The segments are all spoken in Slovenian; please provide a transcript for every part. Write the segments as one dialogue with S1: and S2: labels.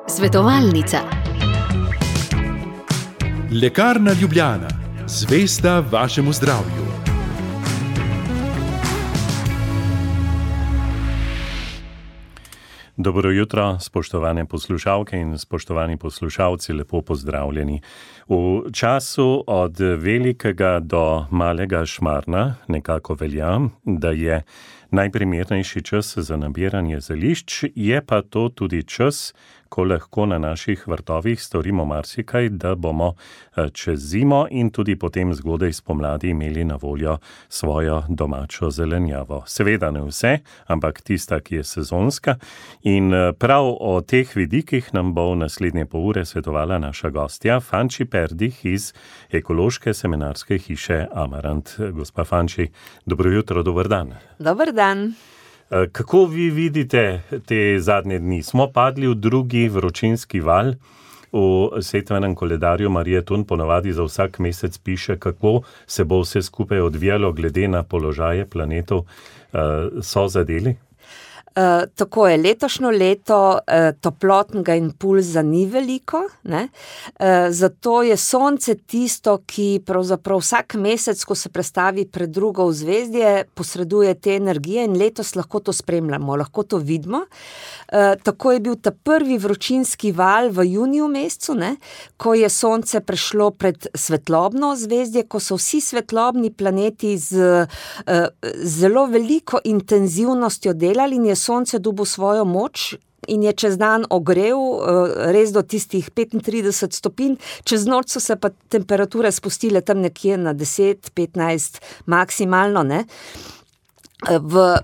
S1: Svetovalnica.
S2: Lekarna Ljubljana, zvesta vašemu zdravju.
S3: Dobro jutro, spoštovane poslušalke in spoštovani poslušalci, lepo pozdravljeni. V času od velikega do malega Šmarna nekako velja, da je najprimernejši čas za nabiranje zelišč, je pa to tudi čas, ko lahko na naših vrtovih storimo marsikaj, da bomo čez zimo in tudi potem zgodaj spomladi imeli na voljo svojo domačo zelenjavo. Seveda ne vse, ampak tista, ki je sezonska. In prav o teh vidikih nam bo v naslednje pol ure svetovala naša gostja, Fanči Perdih iz ekološke semenarske hiše Amarant. Gospa Fanči, dobro jutro, dober dan.
S4: Dober dan.
S3: Kako vi vidite te zadnje dni? Smo padli v drugi vročinski val. V setvenem koledarju Marije Tun ponovadi za vsak mesec piše, kako se bo vse skupaj odvijalo glede na položaje planetov. So zadeli?
S4: Tako je, letošnjo leto toplotnega impulza ni veliko, ne? Zato je sonce tisto, ki pravzaprav vsak mesec, ko se prestavi pred drugo vzvezdje, posreduje te energije in letos lahko to spremljamo, lahko to vidimo. Tako je bil ta prvi vročinski val v juniju mesecu, ne? Ko je sonce prešlo pred svetlobno zvezdje, ko so vsi svetlobni planeti z zelo veliko intenzivnostjo delali in je sonce dobil svojo moč in je čez dan ogrel res do tistih 35 stopinj, čez noč so se pa temperature spustile tam nekje na 10-15 maksimalno, ne.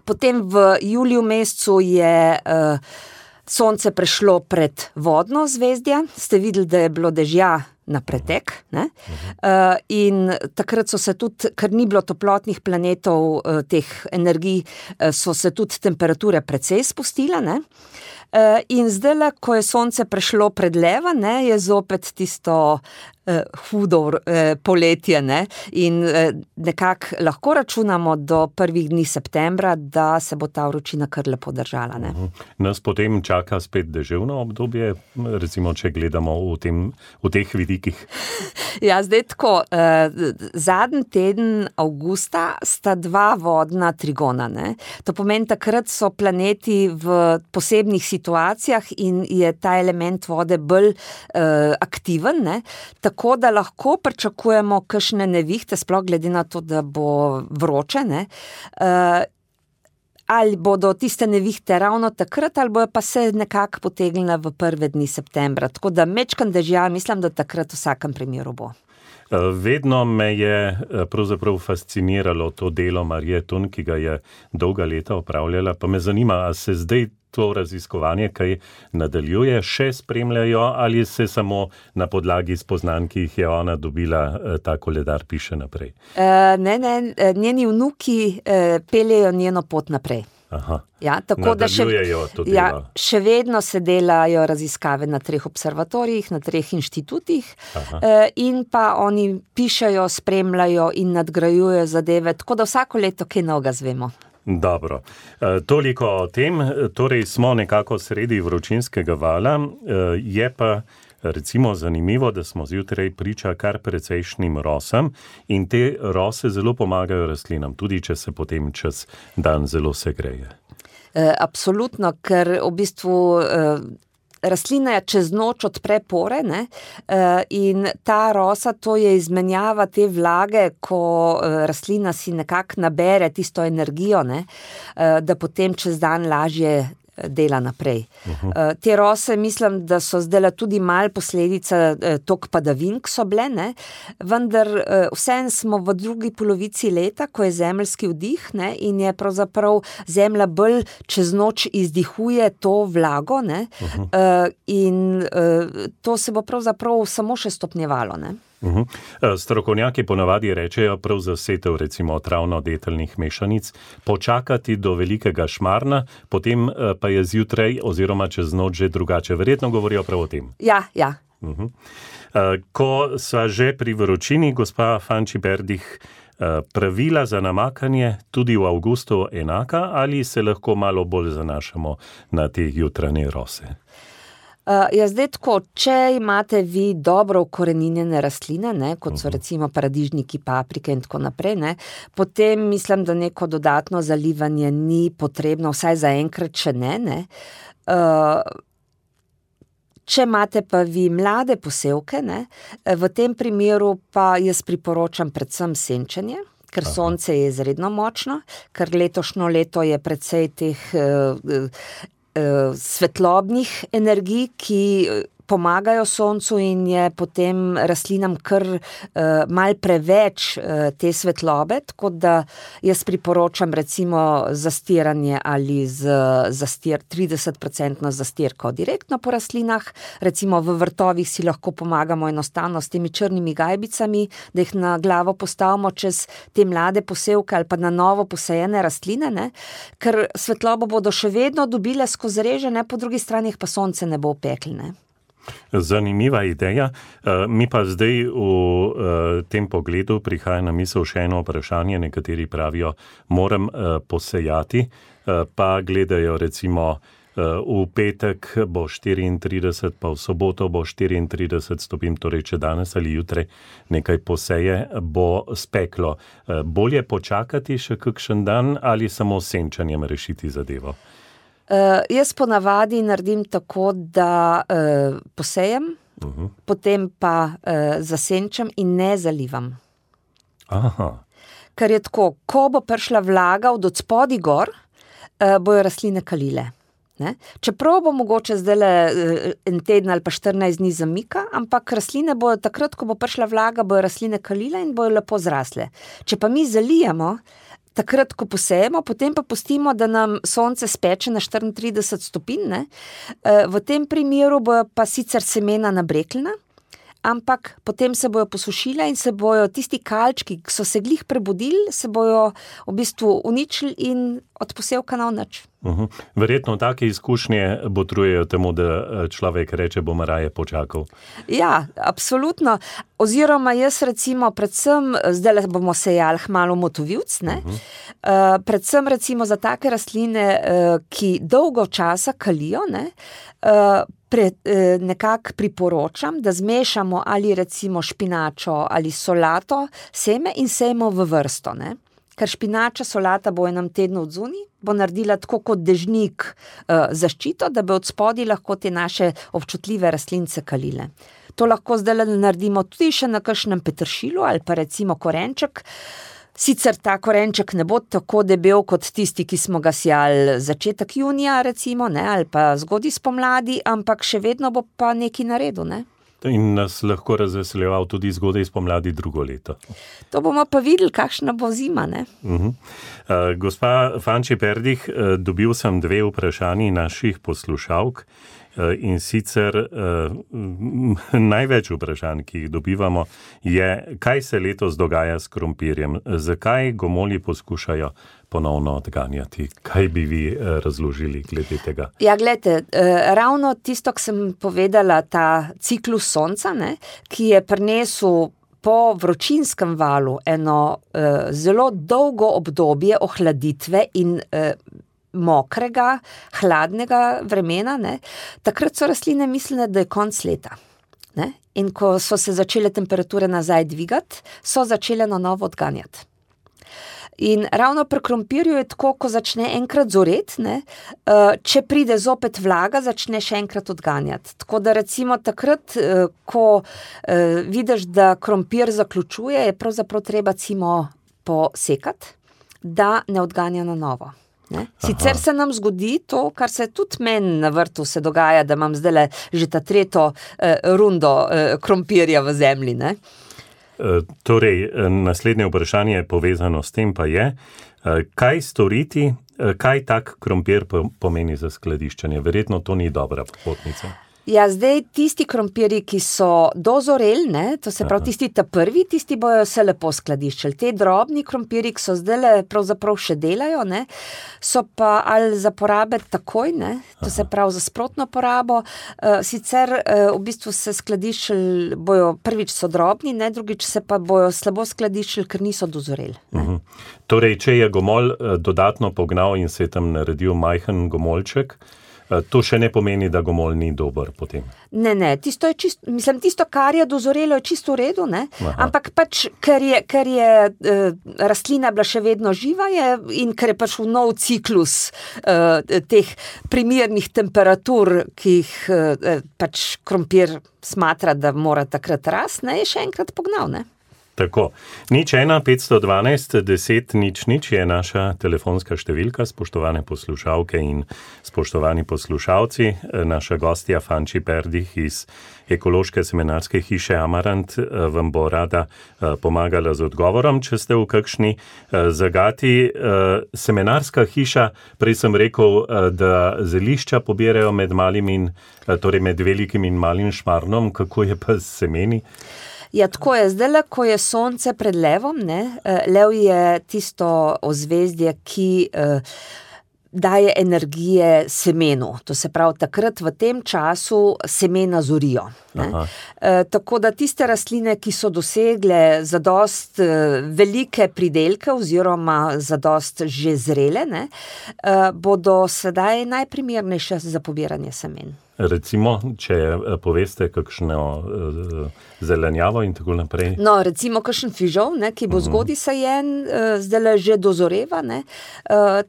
S4: Potem v juliju mesecu je sonce prešlo pred vodno zvezdje, ste videli, da je bilo dežja na pretek, ne? In takrat so se tudi, ker ni bilo toplotnih planetov, teh energij, so se tudi temperature precej spustile, ne? In zdajle, ko je sonce prešlo pred leva, ne, je zopet tisto hudo poletje, ne, in nekako lahko računamo do prvih dni septembra, da se bo ta vročina kar lepo držala, ne.
S3: Nas potem čaka spet deževno obdobje, recimo, če gledamo v teh vidikih.
S4: Ja, zdaj tako, zadnji teden avgusta sta dva vodna trigona, ne. To pomeni, takrat so planeti v posebnih situacijah in je ta element vode bolj aktiven, ne. Tako da lahko pričakujemo kakšne nevihte, sploh glede na to, da bo vroče, ne. Ali bodo tiste nevihte ravno takrat, ali bojo pa se nekako potegnile v prve dni septembra. Tako da mečkan dežja, mislim, da takrat v vsakem primeru bo.
S3: Vedno me je pravzaprav fasciniralo to delo Marije Tun, ki ga je dolga leta opravljala, pa me zanima, a se zdaj to raziskovanje kaj nadaljuje, še spremljajo ali se samo na podlagi spoznanj, ki jih je ona dobila, ta koledar piše naprej?
S4: Ne, njeni vnuki peljejo njeno pot naprej.
S3: Aha,
S4: ja, tako
S3: nadaljujejo to delo.
S4: Ja, še vedno se delajo raziskave na 3 observatorijih, na 3 inštitutih. In pa oni pišejo, spremljajo in nadgrajujejo zadeve, tako da vsako leto kaj novega zvemo.
S3: Dobro, toliko o tem, torej smo nekako sredi vročinskega vala, je pa recimo zanimivo, da smo zjutraj priča kar precejšnjim rosam in te rose zelo pomagajo rastlinam, tudi če se potem čez dan zelo segreje.
S4: Absolutno, ker v bistvu rastlina čez noč odpre pore, ne, in ta rosa, to je izmenjava te vlage, ko rastlina si nekako nabere tisto energijo, ne, da potem čez dan lažje dela naprej. Te rose, mislim, da so zdajle tudi malo posledica tok padavin, ki so bile, ne, vendar vseeno smo v drugi polovici leta, ko je zemeljski vdih, ne, in je pravzaprav zemlja bolj čez noč izdihuje to vlago, ne, in to se bo pravzaprav samo še stopnjevalo, ne.
S3: Strokovnjaki ponavadi rečejo prav za setev recimo travno-deteljnih mešanic počakati do velikega Šmarna, potem pa je zjutraj oziroma čez noč že drugače. Verjetno govorijo prav o tem.
S4: Ja.
S3: Ko sva že pri vročini, gospa Fanči Perdih, Pravila za namakanje tudi v avgustu enaka ali se lahko malo bolj zanašamo na te jutranje rose?
S4: Zdaj tako, če imate vi dobro ukoreninjene rastline, ne, kot so recimo paradižniki, paprike in tako naprej, ne, potem mislim, da neko dodatno zalivanje ni potrebno, vsaj zaenkrat še ne. Če imate pa vi mlade posevke, ne, v tem primeru pa jaz priporočam predvsem senčenje, ker sonce je izredno močno, ker letošnjo leto je precej teh svetlobnih energij, ki pomagajo soncu in je potem rastlinam kar mal preveč te svetlobe, tako da jaz priporočam recimo zastiranje ali z 30% zastirko direktno po rastlinah, recimo v vrtovih si lahko pomagamo enostavno s temi črnimi gajbicami, da jih na glavo postavimo čez te mlade posevke ali pa na novo posejene rastline, ne? Ker svetlobo bodo še vedno dobile skozi reže, ne? Po drugi strani pa sonce ne bo peklo, ne?
S3: Zanimiva ideja. Mi pa zdaj v tem pogledu prihaja na misel še eno vprašanje. Nekateri pravijo, moram posejati, pa gledajo recimo v petek bo 34, pa v soboto bo 34 stopinj, torej če danes ali jutri nekaj poseje, bo speklo. Bolje počakati še kakšen dan ali samo s senčanjem rešiti zadevo?
S4: Jaz ponavadi naredim tako, da posejem, potem pa zasenčam in ne zalivam.
S3: Aha.
S4: Ker je tako, ko bo prišla vlaga od spodaj gor, bojo rastline kalile. Ne? Čeprav bo mogoče zdajle en teden ali pa 14 dni zamika, ampak rastline bojo takrat, ko bo prišla vlaga, bojo rastline kalile in bojo lepo zrasle. Če pa mi zalijamo, takrat, ko posejemo, potem pa pustimo, da nam sonce speče na 34 stopinj, ne? V tem primeru bojo pa sicer semena nabreklina, ampak potem se bojo posušile in se bojo tisti kalčki, ki so se glih prebudili, se bojo v bistvu uničili in od posevka na nič.
S3: Verjetno take izkušnje botrujejo temu, da človek reče, bom raje počakal.
S4: Ja, absolutno. Oziroma jaz recimo predvsem, zdaj bomo sejali hmalu motovilc, ne? Predvsem recimo za take rastline, ki dolgo časa kalijo, ne? Nekako priporočam, da zmešamo ali recimo špinačo ali solato, seme in sejmo v vrsto, ne? Ker špinača, solata bo v enem tednu odzuni, bo naredila tako kot dežnik zaščito, da bi od spodaj lahko te naše občutljive rastlince kalile. To lahko zdaj naredimo tudi še na kakšnem peteršilu ali pa recimo korenček. Sicer ta korenček ne bo tako debel kot tisti, ki smo ga sijali začetek junija recimo, ne, ali pa zgodaj spomladi, ampak še vedno bo pa nekaj naredil, ne.
S3: In nas lahko razveseljeval tudi zgodaj spomladi drugo leto.
S4: To bomo pa videli, kakšna bo zima, ne?
S3: Gospa Fanči Perdih, dobil sem 2 vprašanji naših poslušalk in sicer največ vprašanj, ki jih dobivamo, je, kaj se letos dogaja s krompirjem, zakaj gomolji poskušajo ponovno odganjati. Kaj bi vi razložili glede tega?
S4: Ja, gledajte, ravno tisto, ki sem povedala, ta ciklus sonca, ne, ki je prinesel po vročinskem valu eno zelo dolgo obdobje ohladitve in mokrega, hladnega vremena, ne, takrat so rastline mislile, da je konec leta. Ne? In ko so se začele temperature nazaj dvigati, so začele na novo odganjati. In ravno pri krompirju je tako, ko začne enkrat zoreti, ne, če pride zopet vlaga, začne še enkrat odganjati. Tako da recimo takrat, ko vidiš, da krompir zaključuje, je pravzaprav treba cimo posekati, da ne odganja na novo. Ne? Sicer se nam zgodi to, kar se tudi meni na vrtu se dogaja, da imam zdajle že ta 3. rundo krompirja v zemlji, ne.
S3: Torej, naslednje vprašanje je povezano s tem pa je, kaj storiti, kaj tak krompir pomeni za skladiščenje? Verjetno to ni dobra popotnica.
S4: Ja, zdaj tisti krompirji, ki so dozoreli, ne, to se pravi tisti prvi, tisti bojo se lepo skladiščili. Te drobni krompirji, ki so zdaj pravzaprav še delajo, ne, so pa ali za porabe takoj, ne, to se pravi za sprotno porabo, sicer v bistvu se skladiščili, bojo prvič so drobni, ne, drugič se pa bojo slabo skladiščili, ker niso dozoreli.
S3: Torej, če je gomolj dodatno pognal in se je tam naredil majhen gomolček, to še ne pomeni, da gomolj ni dober potem.
S4: Ne, tisto je čisto, tisto, kar je dozorelo, je čisto v redu, ne? Ampak pač, ker je rastlina bila še vedno živa in ker je pač v nov ciklus teh primernih temperatur, ki jih pač krompir smatra, da mora takrat rasti, ne, je še enkrat pognal, ne?
S3: Tako. 01512 10 00 je naša telefonska številka, spoštovane poslušalke in spoštovani poslušalci. Naša gostja Fanči Perdih iz ekološke semenarske hiše Amarant vam bo rada pomagala z odgovorom, če ste v kakšni zagati. Semenarska hiša, prej sem rekel, da zelišča pobirajo med med velikim in malim Šmarnom, kako je pa s semeni?
S4: Ja, tako je. Zdaj, ko je sonce pred levom, ne, lev je tisto ozvezdje, ki daje energije semenu. To se pravi, takrat v tem času semena zorijo. Tako da tiste rastline, ki so dosegle zadost velike pridelke oziroma zadost že zrele, ne, bodo sedaj najprimernejše za pobiranje semen.
S3: Recimo, če poveste kakšno zelenjavo in tako naprej.
S4: No, recimo kakšen fižol, ne, ki bo zgodaj sajen, zdajle že dozoreva, ne,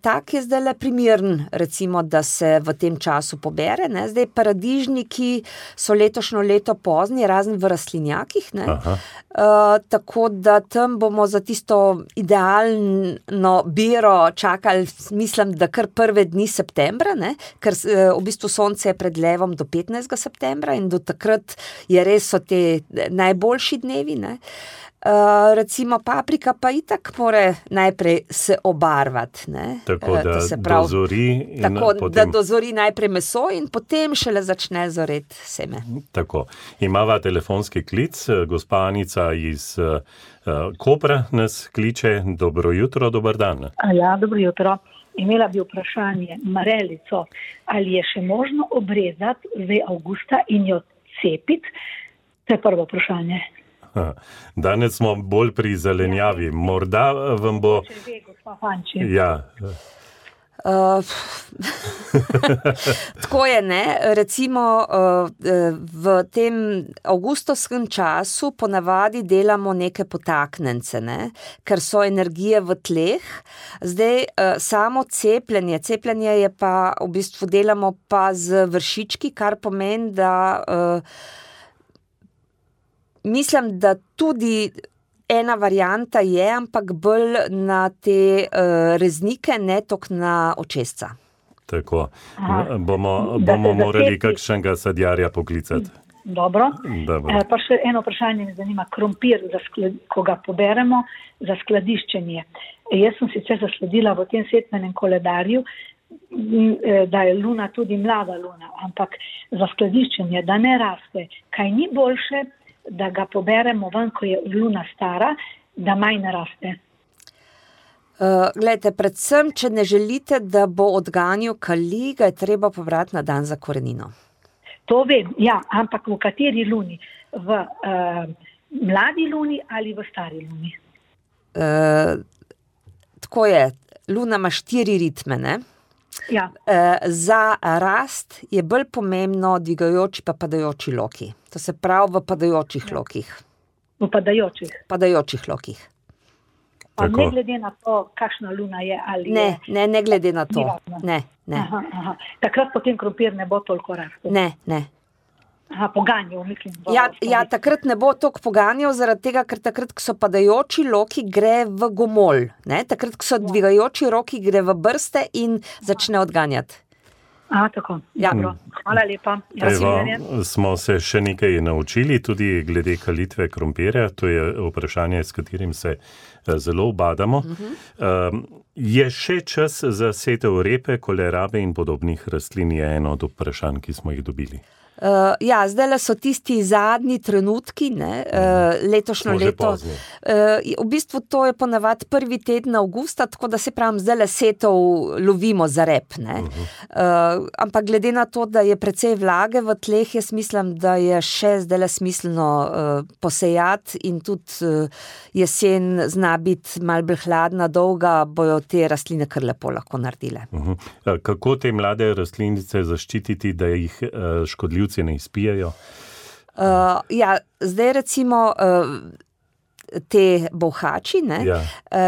S4: tak je zdajle primeren, recimo, da se v tem času pobere, ne. Zdaj paradižniki so letošnjo leto pozni, razen v rastlinjakih, ne. Tako da tam bomo za tisto idealno biro čakali, mislim, da kar prve dni septembra, ne, ker v bistvu sonce je pred levom do 15. septembra in do takrat je res so te najboljši dnevi, ne. Recimo paprika pa itak mora najprej se obarvati, ne.
S3: Tako da dozori in
S4: tako,
S3: potem...
S4: da dozori najprej meso in potem šele začne zoreti seme.
S3: Tako. Imava telefonski klic, gospa Anica iz Kopra nas kliče. Dobro jutro, dober dan.
S1: Ja, dobro jutro. Imela bi vprašanje, marelico, ali je še možno obrezati zdaj avgusta in jo cepiti? To je prvo vprašanje.
S3: Danes smo bolj pri zelenjavi. Morda vam bo...
S1: Če ve, gospa Fanči.
S3: Ja.
S4: Tako je, ne, recimo v tem avgustovskem času ponavadi delamo neke potaknjence, ne, ker so energije v tleh. Zdaj samo cepljenje je pa v bistvu delamo pa z vršički, kar pomeni, da mislim, da tudi ena varianta je, ampak bolj na te reznike, ne toliko na očesca.
S3: Tako. Bomo morali kakšnega sadjarja poklicati.
S1: Dobro. Pa še eno vprašanje me zanima. Krompir, ko ga poberemo, za skladiščenje. Jaz sem sicer zasledila v tem setvenem koledarju, da je luna tudi mlada luna, ampak za skladiščenje, da ne raste, kaj ni boljše, da ga poberemo ven, ko je luna stara, da manj raste.
S4: Glejte, predvsem, če ne želite, da bo odganjal kali, ga je treba pobrati na dan za korenino.
S1: To vem, ja, ampak v kateri luni? V mladi luni ali v stari luni?
S4: Tako je, luna ima 4 ritme, ne?
S1: Ja.
S4: Za rast je bolj pomembno dvigajoči pa padajoči loki. To se pravi v padajočih lokih.
S1: V padajočih?
S4: Padajočih lokih.
S1: Pa ne glede na to, kakšna luna je ali
S4: ne, je... Ne glede na to. Ne.
S1: Aha. Takrat potem krompir ne bo toliko rastel?
S4: Ne.
S1: Poganjal, mislim.
S4: Ja, takrat ne bo toliko poganjal, zaradi tega, ker takrat, ko so padajoči loki, gre v gomolj. Ne? Takrat, ko so dvigajoči roki, gre v brste in začne odganjati.
S1: Tako. Ja. Hvala lepa.
S3: Smo se še nekaj naučili, tudi glede kalitve krompirja. To je vprašanje, s katerim se zelo ubadamo. Je še čas za setev repe, kolerabe in podobnih rastlin, je eno od vprašanj, ki smo jih dobili.
S4: Ja, zdaj so tisti zadnji trenutki, ne, letošnjo leto. V bistvu to je ponavadi prvi teden avgusta, tako da se pravim, zdaj setov lovimo za rep, ne. Ampak glede na to, da je precej vlage v tleh, jaz mislim, da je še zdaj smiselno posejati in tudi jesen zna biti malo bolj hladna, dolga, bojo te rastline kar lepo lahko naredile.
S3: Kako te mlade rastlinice zaščititi, da jih škodljivci ne izpijajo?
S4: Ja, zdaj recimo te bolhači, ne,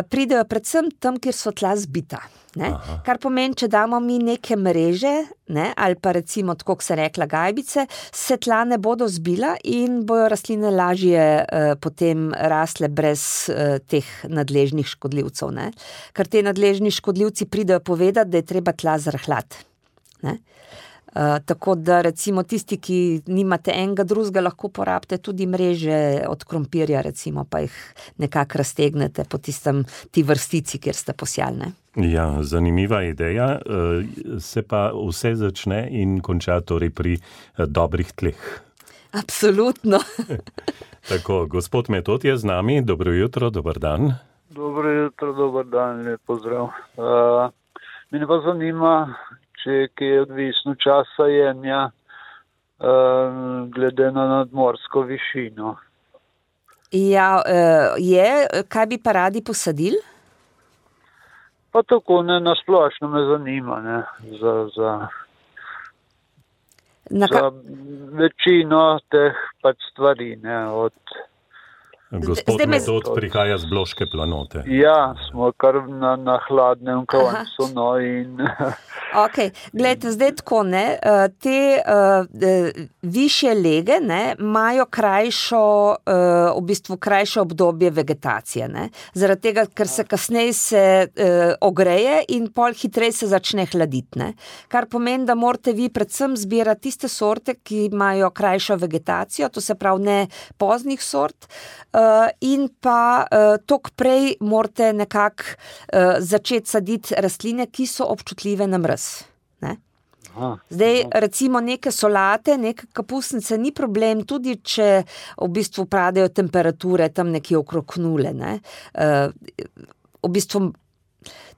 S4: pridejo predvsem tam, kjer so tla zbita. Ne? Kar pomeni, če damo mi neke mreže, ne, ali pa recimo, tako kot se rekla, gajbice, se tla ne bodo zbila in bojo rastline lažje potem rasle brez teh nadležnih škodljivcev. Ne? Ker te nadležni škodljivci pridejo povedati, da je treba tla zrahljati. Ne? Tako da recimo tisti, ki nimate enega drugega, lahko porabite tudi mreže od krompirja, recimo, pa jih nekako raztegnete po ti vrstici, kjer ste posijali.
S3: Ja, zanimiva ideja, se pa vse začne in konča torej pri dobrih tleh.
S4: Absolutno.
S3: Tako, gospod Metod je z nami, dobro jutro, dober dan.
S5: Dobro jutro, dober dan, lep pozdrav. Mene pa zanima, če je odvisno časa jenja glede na nadmorsko višino.
S4: Ja, kaj bi pa radi posadili?
S5: Pa tako, ne, na splošno me zanima, ne, za večino teh pač stvari, ne, od...
S3: Gospod Metod prihaja z Bloške planote.
S5: Ja, smo kar na hladnem koncu, no, in...
S4: Ok, gledajte, zdaj tako, ne, te višje lege, ne, imajo v bistvu krajšo obdobje vegetacije, ne, zaradi tega, ker se kasneje se ogreje in pol hitreje se začne hladiti, ne, kar pomeni, da morate vi predvsem zbirati tiste sorte, ki imajo krajšo vegetacijo, to se pravi ne poznih sort, in pa toliko prej morate nekako začeti saditi rastline, ki so občutljive na mraz. Ne? Zdaj, recimo neke solate, neke kapusnice, ni problem, tudi če v bistvu padajo temperature tam nekje okrog nule. Ne? V bistvu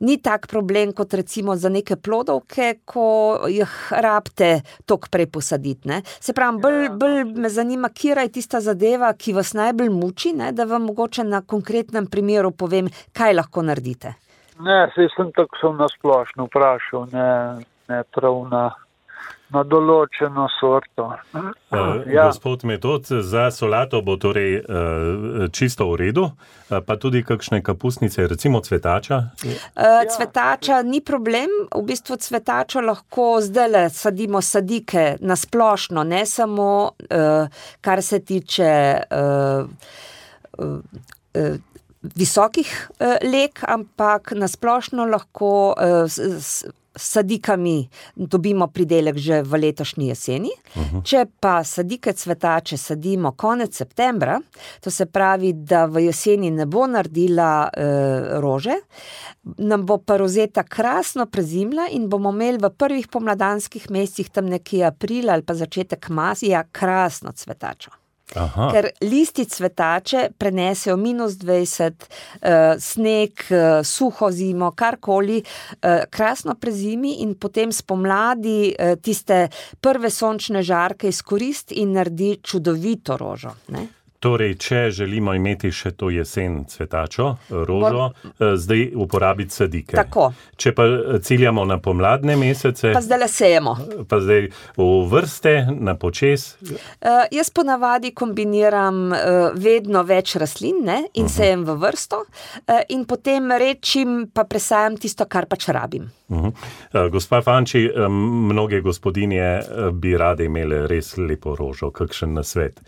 S4: ni tak problem, kot recimo za neke plodovke, ko jih rabite toliko prej posaditi. Ne? Se pravi, bolj me zanima, kira je tista zadeva, ki vas najbolj muči, ne? Da vam mogoče na konkretnem primeru povem, kaj lahko naredite.
S5: Ne, sem tako na splošno vprašal, ne prav na določeno sorto.
S3: Ja. Gospod Metod, za solato bo torej čisto v redu, pa tudi kakšne kapusnice, recimo cvetača?
S4: Cvetača ni problem, v bistvu cvetačo lahko zdajle sadimo sadike na splošno, ne samo kar se tiče visokih leg, ampak na splošno lahko sadikami dobimo pridelek že v letošnji jeseni. Če pa sadike cvetače sadimo konec septembra, to se pravi, da v jeseni ne bo naredila rože, nam bo pa rozeta krasno prezimla in bomo imeli v prvih pomladanskih mesecih, tam nekje aprila ali pa začetek maja, krasno cvetačo.
S3: Aha.
S4: Ker listi cvetače prenesejo -20, sneg, suho zimo, karkoli, krasno prezimi in potem spomladi tiste prve sončne žarke izkoristi in naredi čudovito rožo. Ne?
S3: Torej, če želimo imeti še to jesen cvetačo, rožo, zdaj uporabiti sadike.
S4: Tako.
S3: Če pa ciljamo na pomladne mesece...
S4: Pa zdaj sejemo.
S3: Pa zdaj v vrste, na počez...
S4: Jaz ponavadi kombiniram vedno več rastlin, ne, in sejem v vrsto in potem rečim pa presajam tisto, kar pač rabim.
S3: Gospa Fanči, mnoge gospodinje bi rade imele res lepo rožo, kakšen nasvet?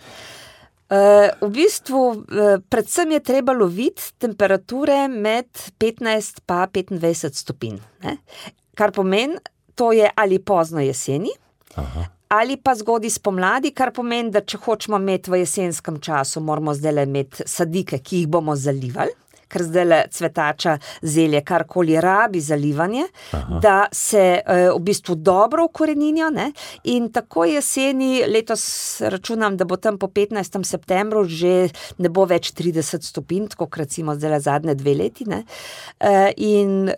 S4: V bistvu, predvsem je treba loviti temperature med 15 pa 25 stopinj. Ne? Kar pomeni, to je ali pozno jeseni, ali pa zgodaj spomladi, kar pomeni, da če hočemo imeti v jesenskem času, moramo zdaj imeti sadike, ki jih bomo zalivali, ker zdajle cvetača zelje, karkoli rabi zalivanje, da se v bistvu dobro ukoreninijo, ne? In tako jeseni, letos računam, da bo tam po 15. septembru že ne bo več 30 stopinj, tako recimo zdajle zadnje 2 leti, ne? In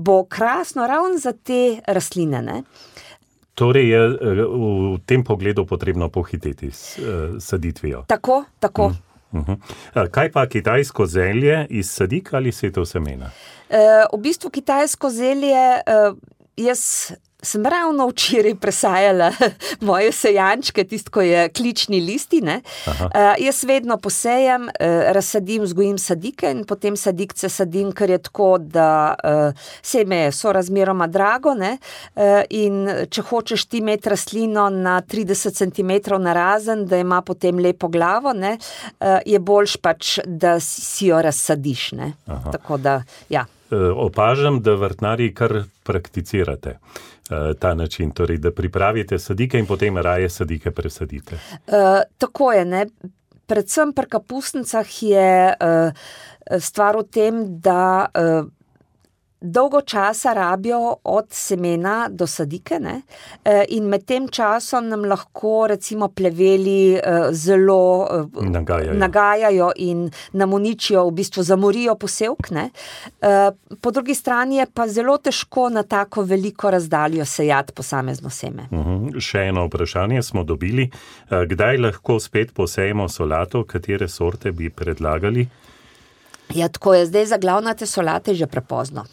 S4: bo krasno ravno za te rastline, ne?
S3: Torej je v tem pogledu potrebno pohiteti s saditvijo.
S4: Tako.
S3: Kaj pa kitajsko zelje iz sadik ali setov semena?
S4: V bistvu kitajsko zelje, jaz sem ravno včeraj presajala moje sejančke, tisto, ko je klični listi, ne. Jaz vedno posejem, razsadim, vzgojim sadike in potem sadikce sadim, ker je tako, da seme je sorazmeroma drago, ne, in če hočeš ti imeti rastlino na 30 cm narazen, da ima potem lepo glavo, ne, je boljš pač, da si jo razsadiš, ne. Tako da, ja.
S3: Opažam, da vrtnarji kar prakticirate ta način, torej, da pripravite sadike in potem raje sadike presadite.
S4: Tako je, ne. Predvsem pri kapusnicah je stvar v tem, da dolgo časa rabijo od semena do sadike, ne, in med tem časom nam lahko recimo pleveli zelo nagajajo in nam uničijo, v bistvu zamorijo posevk, ne. Po drugi strani je pa zelo težko na tako veliko razdaljo sejati posamezno seme.
S3: Še eno vprašanje smo dobili. Kdaj lahko spet posejemo solato, katere sorte bi predlagali?
S4: Ja, tako je, zdaj za glavnate solate že prepozno.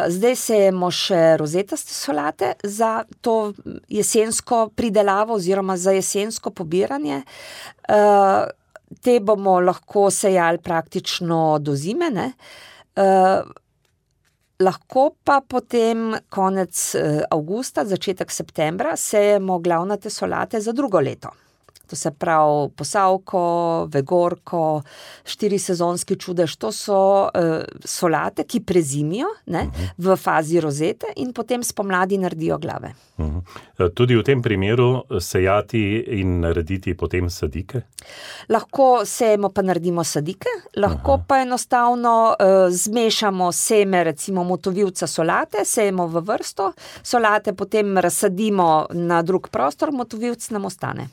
S4: Zdaj sejemo še rozetaste solate za to jesensko pridelavo oziroma za jesensko pobiranje. Te bomo lahko sejali praktično do zime, ne. Lahko pa potem konec avgusta, začetek septembra sejemo glavnate solate za drugo leto. To se pravi posavko, vegorko, 4-sezonski čudež, to so solate, ki prezimijo, ne, v fazi rozete in potem spomladi naredijo glave.
S3: Tudi v tem primeru sejati in narediti potem sadike?
S4: Lahko sejemo pa naredimo sadike, lahko pa enostavno zmešamo seme recimo motovilca solate, sejemo v vrsto, solate potem razsadimo na drug prostor, motovilc nam ostane.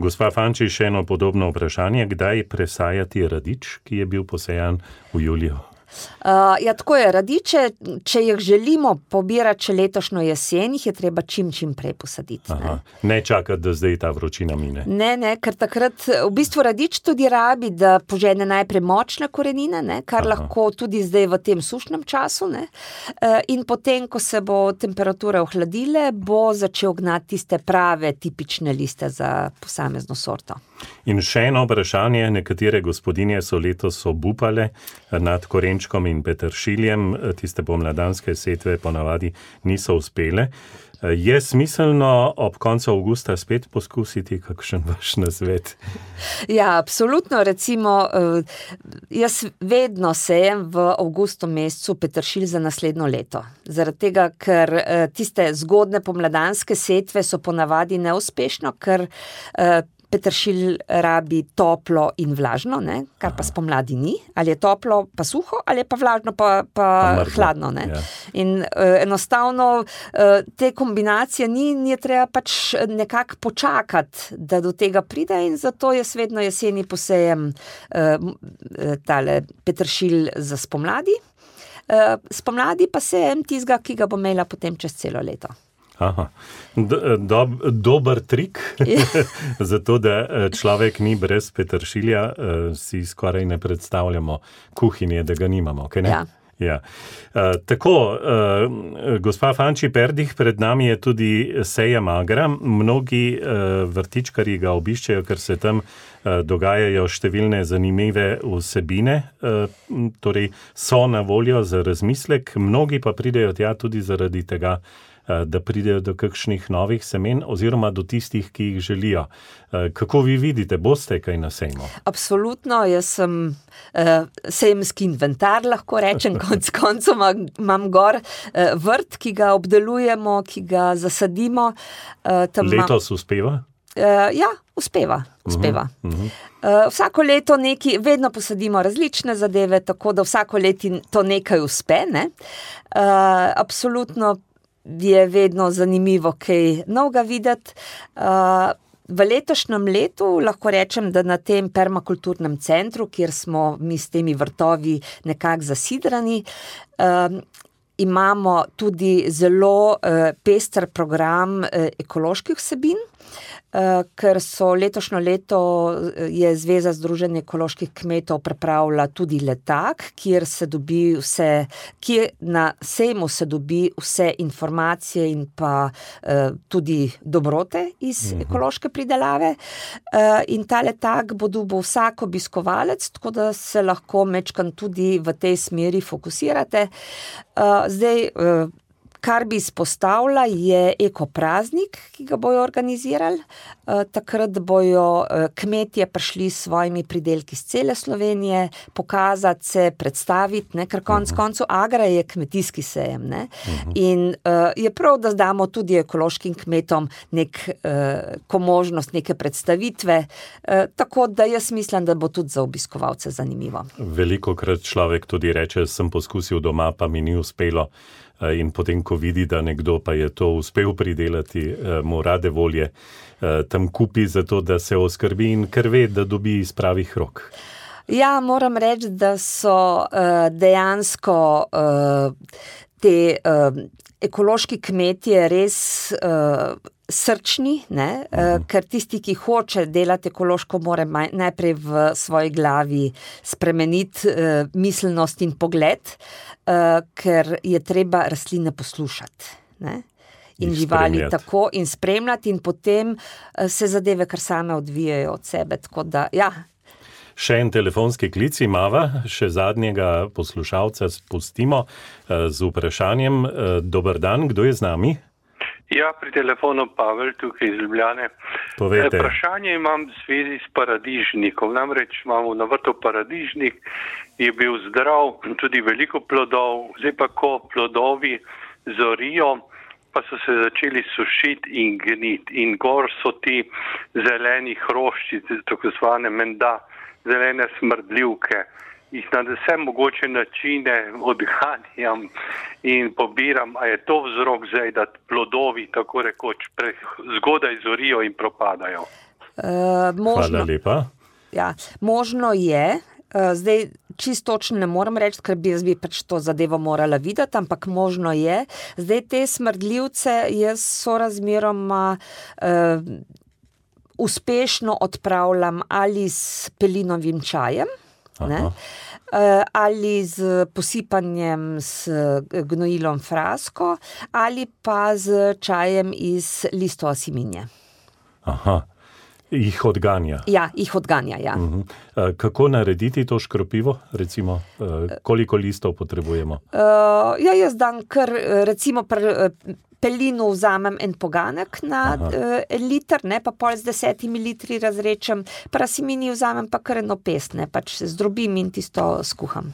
S3: Gospa Fanči, še eno podobno vprašanje. Kdaj presajati radič, ki je bil posejan v juliju?
S4: Ja, tako je. Radiče, če jih želimo pobirati še letošnjo jesen, jih je treba čim prej posaditi.
S3: Ne čakati, da zdaj ta vročina mine.
S4: Ne, ker takrat v bistvu radič tudi rabi, da požene najprej močne korenine, ne, kar lahko tudi zdaj v tem sušnem času, ne. In potem, ko se bo temperature ohladile, bo začel gnati tiste prave, tipične liste za posamezno sorto.
S3: In še eno vprašanje, nekatere gospodinje so letos obupale nad korenčkom in peteršiljem, tiste pomladanske setve ponavadi niso uspele. Je smiselno ob koncu avgusta spet poskusiti kakšen vaš nasvet?
S4: Ja, absolutno. Recimo, jaz vedno sejem v avgustu mesecu peteršilj za naslednjo leto. Zaradi tega, ker tiste zgodne pomladanske setve so ponavadi neuspešno, ker peteršilj rabi toplo in vlažno, ne, kar pa spomladi ni. Ali je toplo pa suho, ali je pa vlažno pa hladno, ne. Ja. In enostavno te kombinacije je treba pač nekako počakati, da do tega pride in zato jaz vedno jeseni posejem tale peteršilj za spomladi. Spomladi pa sejem tistega, ki ga bo imela potem čez celo leto.
S3: Dober trik, zato da človek ni brez peteršilja, si skoraj ne predstavljamo kuhinje, da ga nimamo, kaj ne? Ja. Tako, gospa Fanči Perdih, pred nami je tudi sejem agra. Mnogi vrtičkarji ga obiščejo, ker se tam dogajajo številne zanimive vsebine, torej so na voljo za razmislek, mnogi pa pridejo tja tudi zaradi tega, da pridejo do kakšnih novih semen oziroma do tistih, ki jih želijo. Kako vi vidite, boste kaj na sejmu?
S4: Absolutno, jaz sem sejemski inventar, lahko rečem, konec koncev imam gor vrt, ki ga obdelujemo, ki ga zasadimo.
S3: Letos uspeva?
S4: Ja, uspeva. Vsako leto vedno posadimo različne zadeve, tako da vsako leto to nekaj uspe, ne. Absolutno je vedno zanimivo kaj novega videti. V letošnjem letu lahko rečem, da na tem permakulturnem centru, kjer smo mi s temi vrtovi nekako zasidrani, imamo tudi zelo pester program ekoloških vsebin, ker so letošnjo leto je Zveza združenj ekoloških kmetov pripravila tudi letak, kjer na sejmu se dobi vse informacije in pa tudi dobrote iz ekološke pridelave. In ta letak bo dobil vsak obiskovalec, tako da se lahko majčkeno tudi v tej smeri fokusirate. Zdaj, kar bi izpostavila, je ekopraznik, ki ga bojo organizirali. Takrat bojo kmetje prišli s svojimi pridelki z cele Slovenije, pokazati se, predstaviti, ne, ker konec koncev Agra je kmetijski sejem, ne. In je prav, da damo tudi ekološkim kmetom neko možnost, neke predstavitve, tako da jaz mislim, da bo tudi za obiskovalce zanimivo.
S3: Velikokrat človek tudi reče, sem poskusil doma, pa mi ni uspelo. In potem, ko vidi, da nekdo pa je to uspel pridelati, mu rade volje tam kupi za to, da se oskrbi in ker ve, da dobi iz pravih rok.
S4: Ja, moram reči, da so dejansko te ekološki kmetje res srčni, ne? Ker tisti, ki hoče delati ekološko, mora najprej v svoji glavi spremeniti miselnost in pogled, ker je treba rastline poslušati, ne? In živali tako in spremljati in potem se zadeve kar same odvijajo od sebe, tako da, ja.
S3: Še en telefonski klic imava, še zadnjega poslušalca spustimo z vprašanjem. Dober dan, kdo je z nami?
S6: Ja, pri telefonu Pavel, tukaj iz Ljubljane.
S3: Povejte.
S6: Vprašanje imam v zvezi s paradižnikom. Namreč imamo na vrtu paradižnik, je bil zdrav, tudi veliko plodov, zdaj pa ko plodovi zorijo, pa so se začeli sušiti in gniti. In gor so ti zeleni hrošči, tako zvane menda, zelene smrdljivke. Jih na vse mogoče načine odganjam in pobiram, a je to vzrok zdaj, da plodovi tako rekoč zgodaj zorijo in propadajo?
S3: Hvala lepa.
S4: Ja, možno je. Zdaj, čisto točno ne moram reči, ker bi pač to zadevo morala videti, ampak možno je. Zdaj, te smrdljivce jaz sorazmeroma uspešno odpravljam ali s pelinovim čajem, ne? Ali z posipanjem s gnojilom frasko, ali pa z čajem iz listov asiminje.
S3: Aha, jih odganja.
S4: Ja, jih odganja, ja.
S3: Kako narediti to škropivo, recimo? Koliko listov potrebujemo?
S4: Ja, jaz dam kar, recimo pelinu vzamem en poganek na liter, ne, pa pol z 10 litri razrečem, pa asimini vzamem pa kar eno pest, ne, pač zdrobim in tisto skuham.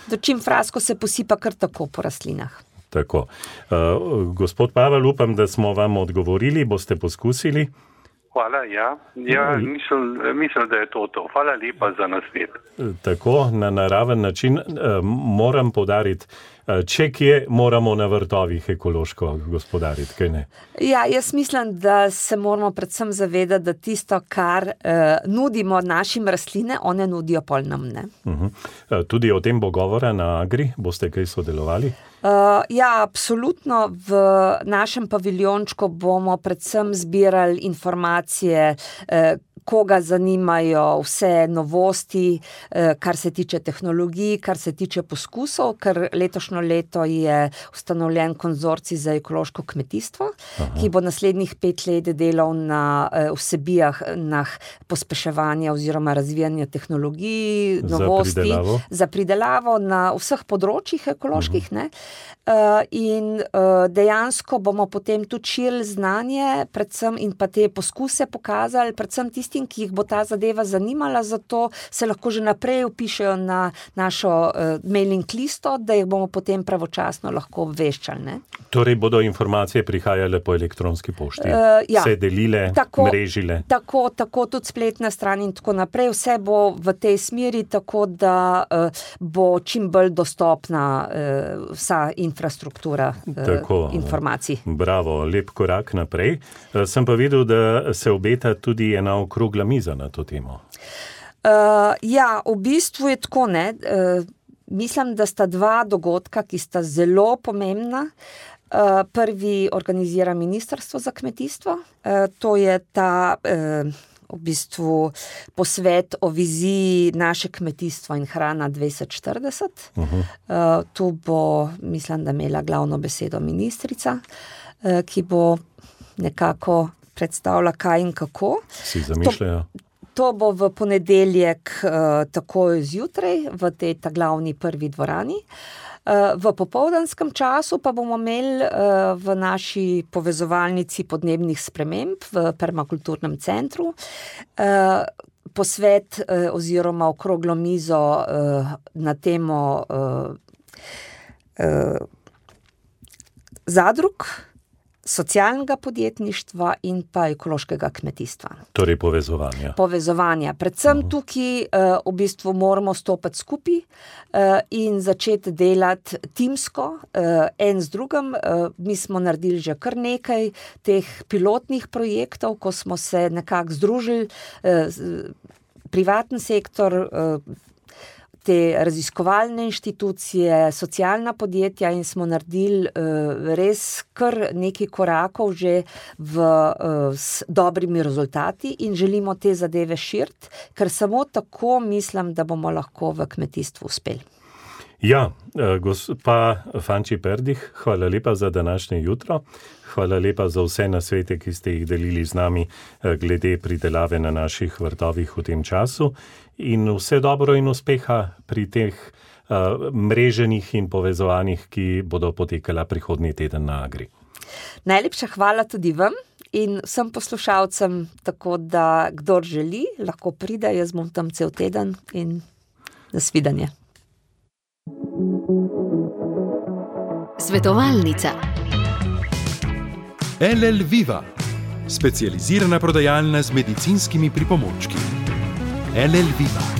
S4: Dočim frasko se posipa kar tako po rastlinah.
S3: Tako. Gospod Pavel, upam, da smo vam odgovorili, boste poskusili?
S6: Hvala, ja. Ja, mislim, da je to. Hvala lepa za nasvet.
S3: Tako, na naraven način moram poudariti, če kje moramo na vrtovih ekološko gospodariti, kaj ne?
S4: Ja, jaz mislim, da se moramo predvsem zavedati, da tisto, kar nudimo našim rastline, one nudijo pol nam, ne?
S3: Tudi o tem bo govora na Agri, boste kaj sodelovali?
S4: Ja, absolutno. V našem paviljončku bomo predvsem zbirali informacije, koga zanimajo vse novosti, kar se tiče tehnologij, kar se tiče poskusov, ker letošnjo leto je ustanovljen konzorcij za ekološko kmetijstvo, ki bo naslednjih 5 let delal na vsebijah na pospeševanje oziroma razvijanje tehnologij, novosti, za pridelavo na vseh področjih ekoloških, ne. in dejansko bomo potem tudi širili znanje, predvsem in pa te poskuse pokazali, predvsem tistim, ki jih bo ta zadeva zanimala, zato se lahko že naprej vpišejo na našo mailing listo, da jih bomo potem pravočasno lahko obveščali. Ne?
S3: Torej bodo informacije prihajale po elektronski pošti, se delile, mrežile.
S4: Tako tudi spletna stran in tako naprej. Vse bo v tej smeri, tako da bo čim bolj dostopna vsa infrastruktura informacij.
S3: Bravo, lep korak naprej. Sem pa videl, da se obeta tudi ena okrogla miza na to temo.
S4: V bistvu je tako, ne. Mislim, da sta dva dogodka, ki sta zelo pomembna. Prvi organizira Ministrstvo za kmetijstvo. To je ta v bistvu posvet o viziji naše kmetijstvo in hrana 2040. Tu bo, mislim, da imela glavno besedo ministrica, ki bo nekako predstavila kaj in kako.
S3: Si zamišljajo?
S4: To bo v ponedeljek takoj zjutraj v tej glavni prvi dvorani. V popoldanskem času pa bomo imeli v naši povezovalnici podnebnih sprememb v permakulturnem centru posvet oziroma okroglo mizo na temo zadrug, socialnega podjetništva in pa ekološkega kmetijstva.
S3: Torej povezovanja. Predvsem tukaj v bistvu moramo stopiti skupaj in začeti delati timsko, en z drugim. Mi smo naredili že kar nekaj teh pilotnih projektov, ko smo se nekako združili, privatni sektor, te raziskovalne inštitucije, socialna podjetja in smo naredili res kar nekaj korakov že s dobrimi rezultati in želimo te zadeve širiti, ker samo tako mislim, da bomo lahko v kmetijstvu uspeli. Ja, gospa Fanči Perdih, hvala lepa za današnje jutro. Hvala lepa za vse nasvete, ki ste jih delili z nami glede pridelave na naših vrtovih v tem času. In vse dobro in uspeha pri teh mreženih in povezovanjih, ki bodo potekala prihodnji teden na Agri.
S4: Najlepša hvala tudi vam in vsem poslušalcem, tako da kdor želi, lahko pride, jaz bom tam cel teden in nasvidenje.
S2: Svetovalnica. LL Viva, specializirana prodajalna z medicinskimi pripomočki. LL Viva.